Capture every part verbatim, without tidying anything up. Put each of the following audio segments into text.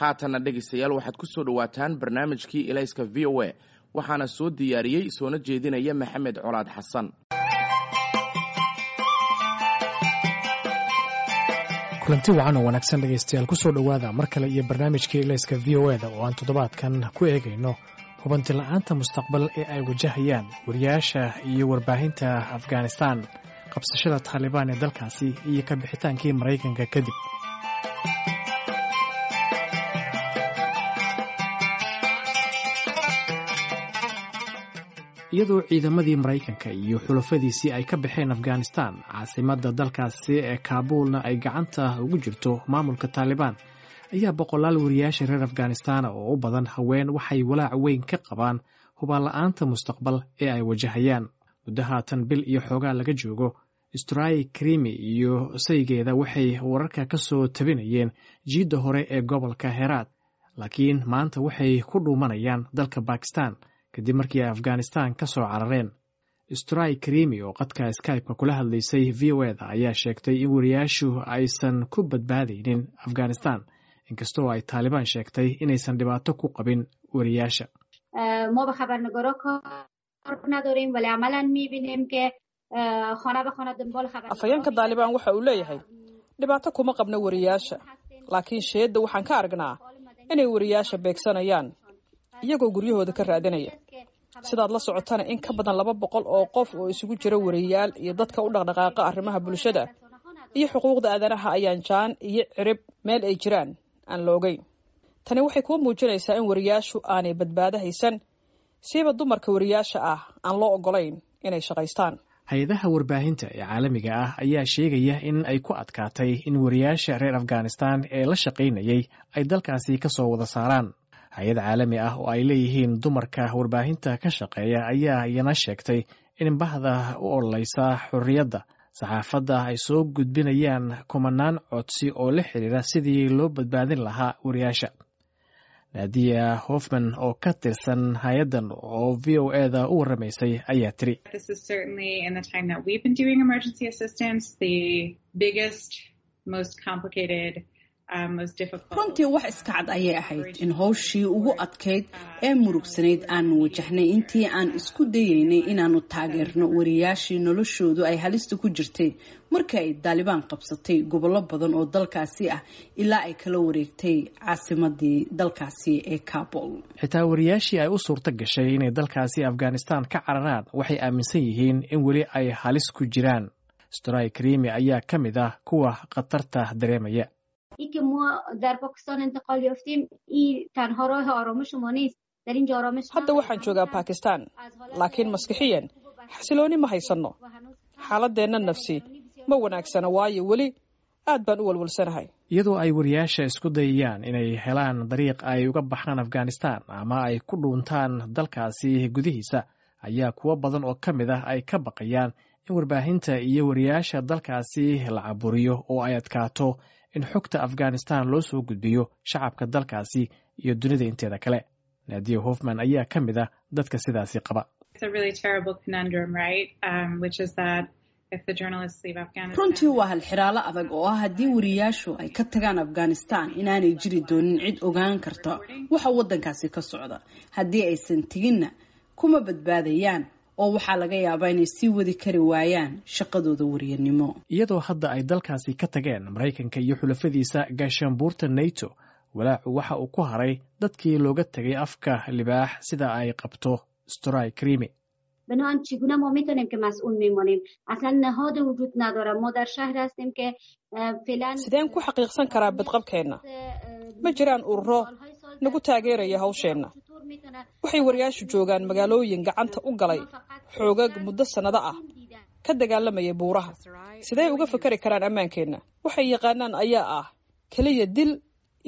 Haatanna dhegaystayaal, waxaad ku soo dhowaataan barnaamijkii Ilayska V O A, waxaana soo diyaariyey soona jeedinaya Maxamed Colaad Xasan. Kulanti wacan oo wanaagsan dhegaystayaal, kusoo dhowaada mar kale iyo barnaamijkii Ilayska V O E da oo aan toddobaadkan ku eegayno hubanti la'aanta mustaqbal ee ay wajahayaan wariyaasha iyo warbaahinta Afghanistan qabsashada Taalibaan ee dalkaasi iyo ka bixitaankii Maraykanka kadib. Iyadoo ciidamadii Maraykanka iyo xulafadiisii ay ka baxeen Afghanistan, caasimadda dalkaasi ee Kaabuulna ay gacanta ugu jirto maamulka Taalibaan, ayaa boqolaal wariyaasha reer Afghanistan oo u badan haween waxay walaac weyn ka qabaan hubaal la'aanta mustaqbal ee ay wajahayaan. Muddo haatan bil iyo xoogaa laga joogo, Stray Krimi iyo saygeeda waxay wararka ka soo tabinayeen jiidda hore ee gobolka Heraad, laakiin maanta waxay ku dhuumanayaan dalka Bakistan kadib markii ay Afghanistan ka soo carareen. Stray Krimi oo qadka Skype-ka kula hadlaysay V O E da ayaa sheegtay in wariyaashu aysan ku badbaadaynin Afghanistan, inkastoo ay Taalibaan sheegtay inaysan dhibaato ku qabin wariyaasha. ما با خبرنگارا کار نداریم، ولی عملا میبینیم که خانه به خانه دنبال خبر Afhayeenka Daalibaan waxa uu leeyahay, dhibaato kuma qabno wariyaasha, laakiin sheedda waxaan ka aragnaa inay wariyaasha beegsanayaan iyagoo guryahooda ka raadinaya. Sidaad la socotana, in ka badan laba boqol oo qof oo isugu jira wariyaal iyo dadka u dhaqdhaqaaqa arrimaha bulshada iyo xuquuqda aadanaha ayaan jaan iyo cirib meel ay jiraan aan la ogeyn. Tani waxay kuu muujinaysaa in wariyaashu aanay badbaado haysan, siiba dumarka wariyaasha ah aan loo ogolayn inay shaqaystaan. Hay-adaha warbaahinta ee caalamiga ah ayaa sheegaya in ay ku adkaatay in wariyaasha reer Afghanistan ee la shaqaynayay ay dalkaasi ka soo wada saaraan. Hay-ad caalami ah oo ay leeyihiin dumarka warbaahinta ka shaqeeya ayaa iyana sheegtay in bahda u ololeysa xorriyadda saxaafadda ay soo gudbinayaan kumanaan codsi oo la xiriira sidii loo badbaadin lahaa wariyaasha. Nadia Hofman oo ka tirsan hay-addan oo V O E da u waramaysay ayaa tiri: This is certainly, in the time that we've been doing emergency assistance, the biggest, most complicated, um, most difficult. Runtii wax iska cad ayay ahayd in howshii ugu adkayd ee murugsanayd aanu wajahnay intii aan isku dayeynay inaanu taageerno wariyaashii noloshoodu ay halista ku jirtay markii ay Daalibaan qabsatay gobollo badan oo dalkaasi ah ilaa ay kala wareegtay caasimadii dalkaasi ee Kabul. Xitaa wariyaashii ay u suurto gashay inay dalkaasi Afghanistan ka cararaan waxay aaminsan yihiin in weli ay halis ku jiraan. Stray Krimi ayaa ka mid ah kuwa khatarta dareemaya. اینکه ما در پاکستان انتقال یافتیم، این تنها راه آرامش ما نیست. در اینجا آرامش Hadda waxaan joogaa Bakistan, laakiin maskixiyan xasilooni ma haysanno. Xaaladeenna nafsi ma wanaagsana, waayo weli aad baan u walwalsanahay. Iyadoo ay wariyaasha isku dayayaan inay helaan dariiq ay uga baxaan Afghanistan ama ay ku dhuuntaan dalkaasi gudihiisa, ayaa kuwo badan oo ka mid ah ay ka baqayaan in warbaahinta iyo wariyaasha dalkaasi la caburiyo oo ay adkaato in xogta Afghanistan loo soo gudbiyo shacabka dalkaasi iyo dunida inteeda kale. Nadia Hofman ayaa ka mid ah dadka sidaasi qaba. It's a really terrible conundrum, right? Um, which is that if the journalists leave Afghanistan. Runtii waa halxiraalo adag oo ah haddii wariyaashu ay ka tagaan Afghanistan inaanay jiri doonin cid ogaan karta waxa waddankaasi ka socda. Haddii aysan teginna, kuma badbaadayaan oo waxaa laga yaabaa inay sii wadi kari waayaan shaqadooda wariyanimo. Iyadoo hadda ay dalkaasi ka tageen Maraykanka iyo xulafadiisa gaashaanbuurta NATO, walaacu waxa uu ku haray dadkii looga tegay afka libaax, sida ay qabto Stray Krimi. بنابراین چگونه ما میتونیم که مصون میمانیم؟ اصلا نهاد وجود نداره. ما در شهر هستیم که فعلا Sideen ku xaqiiqsan karaa badqabkeenna? Ma jiraan ururo nagu taageeraya hawsheenna. Waxay wariyaashu joogaan magaalooyin gacanta u galay xoogag muddo sannado ah ka dagaalamaya buuraha. Sidee uga fakari karaan ammaankeenna? Waxay yaqaanaan ayaa ah keliya dil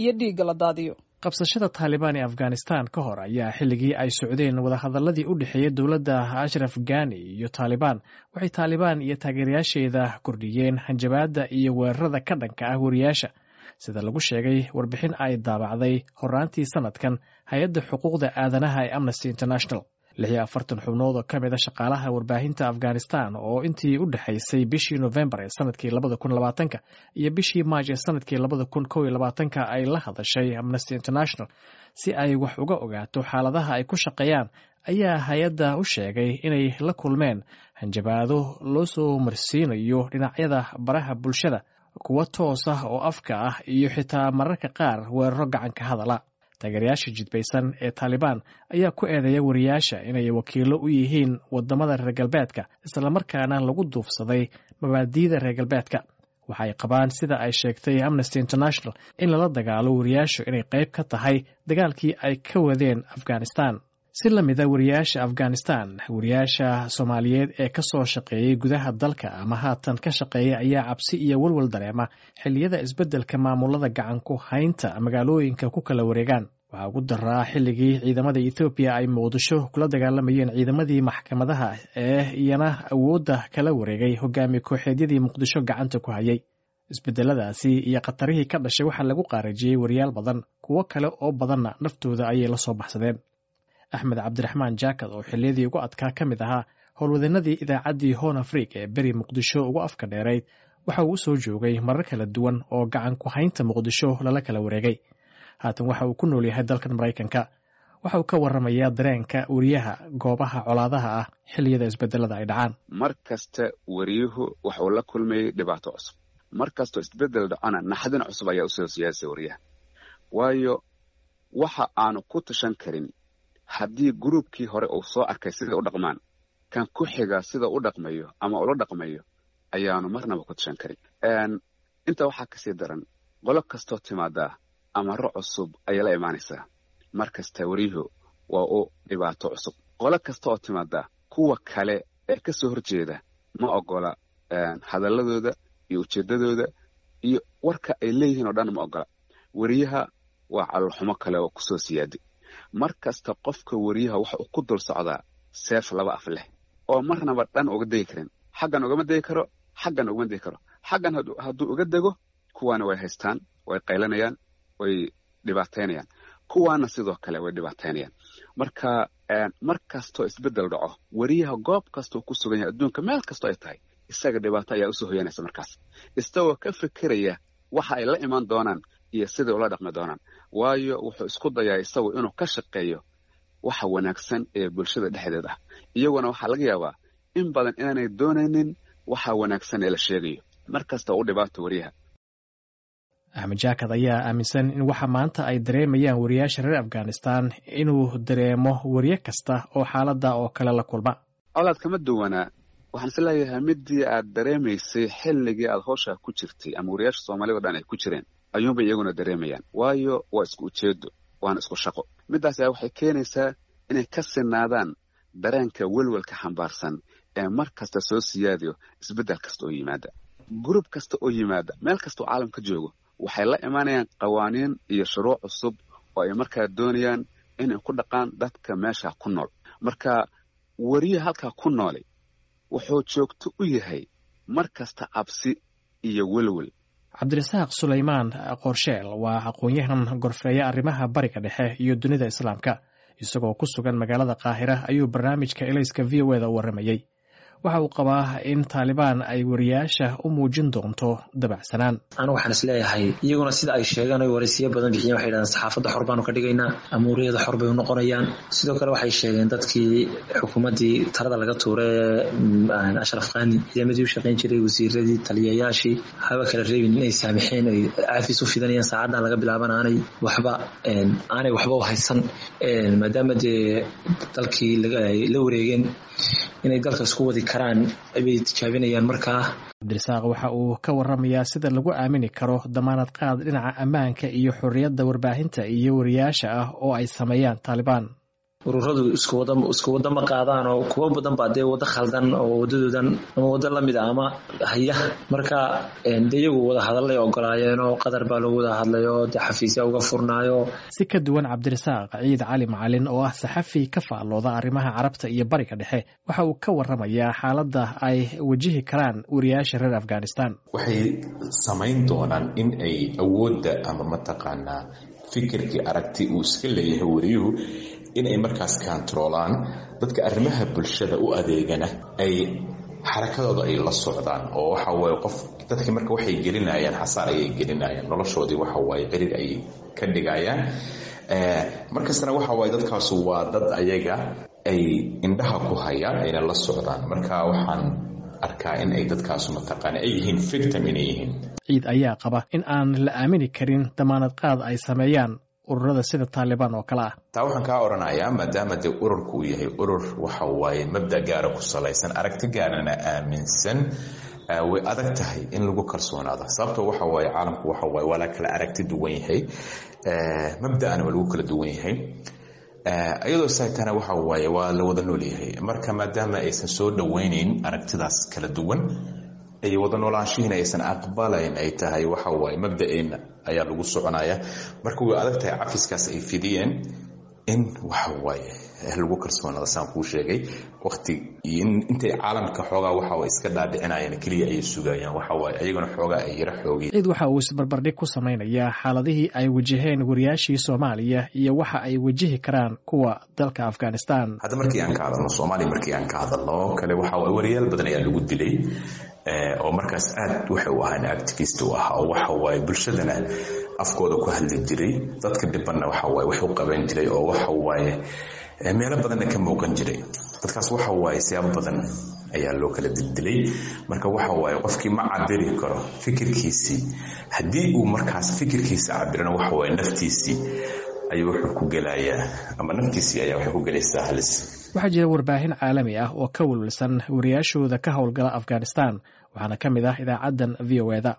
iyo dhiigga la daadiyo. Qabsashada Taalibaan ee Afghanistan ka hor ayaa xilligii ay socdeen wadahadaladii u dhexeeyey dowladda Ashraf Gani iyo Taalibaan, waxay Taalibaan iyo taageerayaasheeda kordhiyeen hanjabaadda iyo weerarada ka dhanka ah wariyaasha, sida lagu sheegay warbixin ay daabacday horaantii sanadkan hay-adda xuquuqda aadanaha ee Amnesty International. Lix iyo afartan xubnood oo ka mid a shaqaalaha warbaahinta Afghanistan oo intii u dhexaysay bishii Nofembar ee sanadkii labada kun labaatanka iyo bishii Maaj ee sanadkii labada kun kow iyo labaatanka ay la hadashay Amnesty International si ay wax uga ogaato xaaladaha ay ku shaqeeyaan, ayaa hay-adda u sheegay inay la kulmeen hanjabaado loo soo marsiinayo dhinacyada baraha bulshada, kuwa toos ah oo afka ah, iyo xitaa mararka qaar weeraro gacanka hadala. Taageerayaasha jidbaysan ee Taalibaan ayaa ku eedeeya wariyaasha inay wakiilo u yihiin wadamada reer galbeedka, islamarkaana lagu duufsaday mabaadiida reer galbeedka. Waxay qabaan, sida ay sheegtay Amnesty International, in lala dagaalo wariyaashu inay qayb ka tahay dagaalkii ay ka wadeen Afghanistan. Si la mida wariyaasha Afghanistan, wariyaasha Soomaaliyeed ee ka soo shaqeeyey gudaha dalka ama haatan ka shaqeeya ayaa cabsi iyo walwal dareema xilliyada isbeddelka maamulada gacan ku haynta magaalooyinka ku kala wareegaan. Waxaa ugu daraa xilligii ciidamada Ethoobiya ay Muqdisho kula dagaalamayeen ciidamadii maxkamadaha ee iyana awoodda kala wareegay hogaami kooxeedyadii Muqdisho gacanta ku hayay. Isbedeladaasi iyo khatarihii ka dhashay waxaa lagu qaarajiyey wariyaal badan, kuwo kale oo badanna naftooda ayay la soo baxsadeen. Axmed Cabdiraxmaan Jaakad oo xilliyadii ugu adkaa ka mid ahaa howlwadeenadii idaacaddii Horn Afrik ee beri Muqdisho ugu afka dheerayd, waxa uu u soo joogay marar kala duwan oo gacan ku haynta Muqdisho lala kala wareegay. Haatan waxa uu ku nool yahay dalkan Maraykanka. Waxa uu ka warramayaa dareenka weriyaha goobaha colaadaha ah xilliyada isbedelada ay dhacaan. Mar kasta weriyuhu waxuu la kulmayay dhibaato cusub. Mar kastoo isbedel dhacona, naxdin cusub ayaa usoo siyaasay weriyaha, waayo waxa aanu ku tashan karin haddii gruubkii hore uu soo arkay sida u dhaqmaan, kan ku xiga sida u dhaqmayo ama ula dhaqmayo ayaanu marnaba ku tashan karin. Intaa waxaa kasii daran, qolo kastoo timaadaa amaro cusub ayay la imaanaysaa. Mar kasta weriyuhu waa u dhibaato cusub. Qolo kasta oo timaadaa kuwa kale ee ka soo horjeeda ma ogola hadalladooda iyo ujeeddadooda iyo warka ay leeyihiin oo dhan ma ogola. Weriyaha waa caloolxumo kale oo kusoo siyaaday. Mar kasta qofka weriyaha waxa uu ku dul socdaa seef laba af leh oo marnaba dhan uga degi karin. Xaggan ugama degi karo, xaggan ugama degi karo. Xaggan hadduu uga dego, kuwaana way haystaan, way qaylanayaan, way dhibaataynayaan, kuwaana sidoo kale way dhibaataynayaan. Marka mar kastoo isbeddel dhaco, weriyaha goob kastoo ku sugan yahay adduunka, meel kastoo ay tahay, isaga dhibaato ayaa usoo hoyanaysa markaas, isagoo ka fikiraya waxa ay la iman doonaan iyo siday ula dhaqmi doonaan, waayo wuxuu isku dayaa isagu inuu ka shaqeeyo waxa wanaagsan ee bulshada dhexdeed ah, iyaguna waxaa laga yaabaa in badan inaanay doonaynin waxa wanaagsan ee la sheegayo. Mar kasta u dhibaato weriyaha. Axmed Jaakad ayaa aaminsan in waxa maanta ay dareemayaan wariyaasha reer Afghanistan inuu dareemo weriye kasta oo xaaladda oo kale la kulma. Colaad kama duwanaa. Waxaan is leeyahay midii aad dareemaysay xilligii aad howshaa ku jirtay ama wariyaasha Soomaalida o dhan ay ku jireen ayuunbay iyaguna dareemayaan, waayo waa isku ujeedo waana isku shaqo. Middaas ayaa waxay keenaysaa inay ka sinaadaan dareenka welwelka xambaarsan ee mar kasta soo siyaadayo isbeddel kasta oo yimaada, gurub kasta oo yimaada, meel kasta oo caalamka joogo. Waxay la imaanayaan qawaaniin iyo shuruuc cusub oo ay markaa doonayaan inay ku dhaqaan dadka meesha ku nool. Marka weriye halkaa ku noolay wuxuu joogto u yahay mar kasta cabsi iyo welwel. Cabdirasaaq Sulaymaan Qoorsheel waa aqoon-yahan gorfeeya arrimaha Bariga Dhexe iyo dunida Islaamka. Isagoo ku sugan magaalada Qaahira ayuu barnaamijka Elayska V O eda u warramayey. Waxa uu qabaa in Taalibaan ay wariyaasha u muujin doonto dabacsanaan. Anigu waxaan is leeyahay, iyaguna sida ay sheegaan oy waraysiyo badan bixiyeen, waxay yidhahdeen saxaafadda xor baanu ka dhigaynaa, amuuriyada xor bay u noqonayaan. Sidoo kale waxay sheegeen dadkii xukuumaddii talada laga tuuray ee Ashraf Khani, ciidamadii u shaqayn jiray, wasiiradii, taliyayaashii, haba kala reebin, inay saamixeen, ay caafis u fidanayaan, saacaddan laga bilaaban aanay waxba aanay waxba u haysan, maadaama dee dalkii la wareegeen, inay dalka isku wadi karaan bay tijaabinayaan markaa. Cabdirasaaq waxa uu ka warramayaa sida lagu aamini karo damaanad qaad dhinaca ammaanka iyo xorriyadda warbaahinta iyo wariyaasha ah oo ay sameeyaan Taalibaan. Ururadu isku wada isku wada ma qaadaan, oo kuwo badan baa dee wado khaldan oo wadadoodan ama wado lamid a ama haya. Marka de iyagu wada hadallay ogolaayeen oo Qadar baa lagu wada hadlay oo dee xafiisya uga furnaayo. Si ka duwan Cabdirasaaq, Ciid Cali Macalin oo ah saxafi ka faallooda arrimaha Carabta iyo Bariga Dhexe waxa uu ka warramayaa xaaladda ay wajihi karaan wariyaasha reer Afghanistan. Waxay samayn doonaan in ay awoodda ama mataqaanaa fikirkii aragti uu iska leeyahay wariyuhu in ay markaas kantaroolaan dadka arrimaha bulshada u adeegana ay xarakadooda ay la socdaan oo waxa waaye qof dadkii marka waxay gelinayaan xasaar ayay gelinayaan noloshoodii waxa waaye cirir ayay ka dhigayaan. Markastana waxa waaye dadkaasu waa dad ayaga ay indhaha ku hayaan ayna la socdaan. Marka waxaan arkaa in ay dadkaasu mataqaana ay yihiin victim inay yihiin. Ciid ayaa qaba in aan la aamini karin damaanad qaad ay sameeyaan ururada sida Taalibaan oo kale ah. Taa waxaan kaa odhanayaa maadaama dee ururku uu yahay urur waxa waaye mabda gaara ku salaysan, aragti gaarana aaminsan, way adag tahay in lagu kalsoonaado. Sababto waxa waaye caalamku waxa waaye waa la kala aragti duwan yahay, mabda'ana waa lagu kala duwan yahay, iyadoo saaytana waxa waaye waa la wada nool yahay. Marka maadaama aysan soo dhoweynayn aragtidaas kala duwan ay wada noolaanshihiina aysan aqbalayn ay tahay waxa waaye mabda'eenna ayaa lagu soconaya. Marka way adag tahay cafiskaas ay fidiyeen in waxa waaye lagu kalsoonaada saan kuu sheegay waqti intay caalamka xoogaa waxa way iska dhaadhicinayaan keliya ayay sugayaan waxa waaye ayaguna xoogaa ay yara xoogay. Ciid waxa uu isbarbardhig ku samaynayaa xaaladihii ay wajaheen wariyaashii Soomaaliya iyo waxa ay wajihi karaan kuwa dalka Afghanistan. Hadda markii aan ka hadalno Soomaaliya, markii aan ka hadalno kale waxa waaye wariyaal badan ayaa lagu dilay oo markaas aad waxay u ahaan activist u ahaa oo waxa waaye bulshadana afkooda ku hadli jiray, dadka dhibanna waxa waaye wax u qaban jiray oo waxa waaye meelo badanna ka muuqan jiray. Dadkaas waxa waaye siyaabo badan ayaa loo kala dildilay. Marka waxa waaye qofkii ma cabiri karo fikirkiisii, haddii uu markaas fikirkiisa cabirana waxa waaye naftiisii ayuu wuxuu ku gelayaa ama naftiisii ayaa waxay ku gelaysaa halis. Waxaa jira warbaahin caalami ah oo ka welwelsan wariyaashooda ka howlgala Afghanistan, waxaana ka mid ah idaacaddan V O E-da.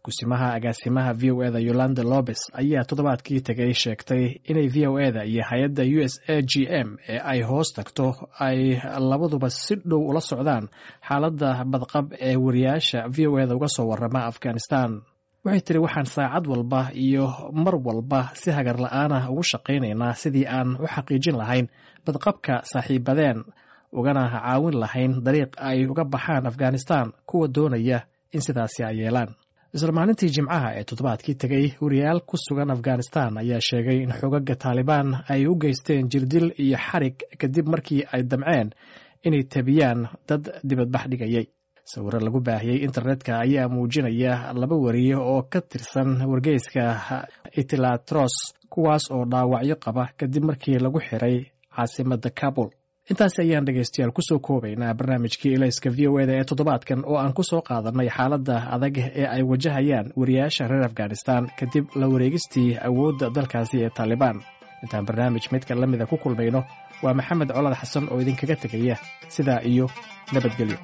Kusimaha agaasimaha V O E-da Yolanda Lopez ayaa toddobaadkii tegay sheegtay inay V O E-da iyo hay-adda U S A G M ee ay hoos tagto ay labaduba si dhow ula socdaan xaaladda badqab ee wariyaasha V O E-da uga soo warama Afghanistan. Waxay tiri waxaan saacad walba iyo mar walba si hagar la-aan ah ugu shaqaynaynaa sidii aan u xaqiijin lahayn badqabka saaxiibadeen ugana caawin lahayn dariiq ay uga baxaan Afghanistan kuwa doonaya in sidaasi ay yeelaan. Isla maalintii Jimcaha ee toddobaadkii tegay, wariyaal ku sugan Afghanistan ayaa sheegay in xoogagga Taalibaan ay u geysteen jirdil iyo xarig kadib markii ay damceen inay tabiyaan dad dibadbax dhigayay. Sawirro lagu baahiyey internetka ayaa muujinaya laba wariye oo ka tirsan wargeyska Itilatros, kuwaas oo dhaawacyo qaba kadib markii lagu xiray caasimadda Kabul. Intaasi ayaan dhegaystayaal kusoo koobaynaa barnaamijkii Ilayska V O E-da ee toddobaadkan oo aan ku soo qaadanay xaaladda adag ee ay wajahayaan wariyaasha reer Afghanistan kadib la wareegistii awoodda dalkaasi ee Taalibaan. Intaan barnaamij midka la mida ku kulmayno, waa Maxamed Colaad Xasan oo idinkaga tegaya sidaa iyo nabadgelyo.